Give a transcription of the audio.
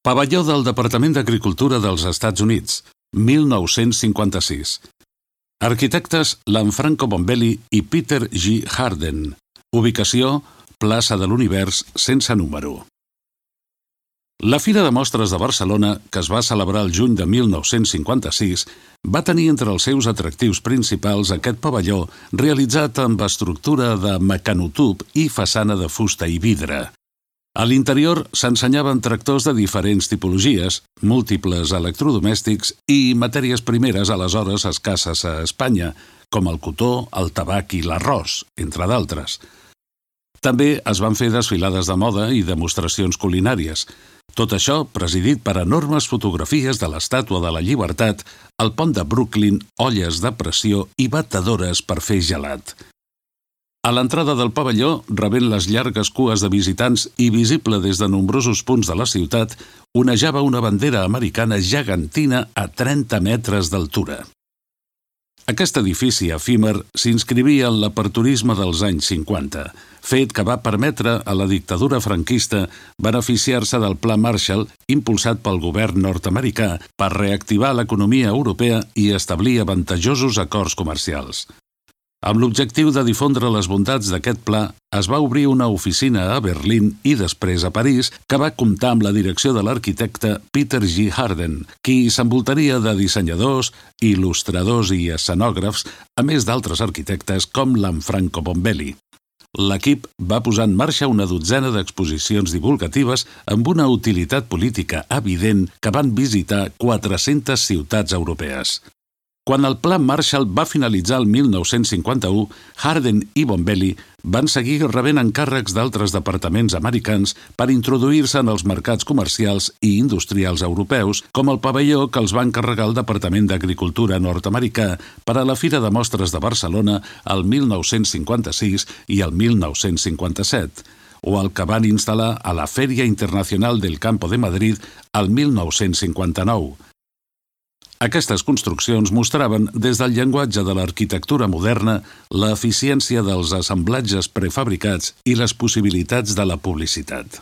Pavelló del Departament d'Agricultura dels Estats Units, 1956. Arquitectes Lanfranco Bombelli i Peter G. Harden. Ubicació: plaça de l'Univers sense número. La Fira de Mostres de Barcelona, que es va celebrar el juny de 1956, va tenir entre els seus atractius principals aquest pavelló realitzat amb estructura de mecanotub i façana de fusta i vidre. A l'interior s'ensenyaven tractors de diferents tipologies, múltiples electrodomèstics i matèries primeres aleshores escasses a Espanya, com el cotó, el tabac i l'arròs, entre d'altres. També es van fer desfilades de moda i demostracions culinàries. Tot això presidit per enormes fotografies de l'Estàtua de la Llibertat, el pont de Brooklyn, olles de pressió i batedores per fer gelat. A l'entrada del pavelló, rebent les llargues cues de visitants i visible des de nombrosos punts de la ciutat, onejava una bandera americana gegantina a 30 metres d'altura. Aquest edifici efímer s'inscrivia en l'aperturisme dels anys 50, fet que va permetre a la dictadura franquista beneficiar-se del Pla Marshall impulsat pel govern nord-americà per reactivar l'economia europea i establir avantatjosos acords comercials. Amb l'objectiu de difondre les bondats d'aquest pla, es va obrir una oficina a Berlín i després a París, que va comptar amb la direcció de l'arquitecte Peter G. Harden, qui s'envoltaria de dissenyadors, il·lustradors i escenògrafs, a més d'altres arquitectes com Lanfranco Bombelli. L'equip va posar en marxa una dotzena d'exposicions divulgatives amb una utilitat política evident que van visitar 400 ciutats europees. Quan el Pla Marshall va finalitzar el 1951, Harden i Bombelli van seguir rebent encàrrecs d'altres departaments americans per introduir-se en els mercats comercials i industrials europeus, com el pavelló que els va encarregar el Departament d'Agricultura nord-americà per a la Fira de Mostres de Barcelona el 1956 i el 1957, o el que van instal·lar a la Feria Internacional del Campo de Madrid el 1959. Aquestes construccions mostraven, des del llenguatge de l'arquitectura moderna, l'eficiència dels assemblatges prefabricats i les possibilitats de la publicitat.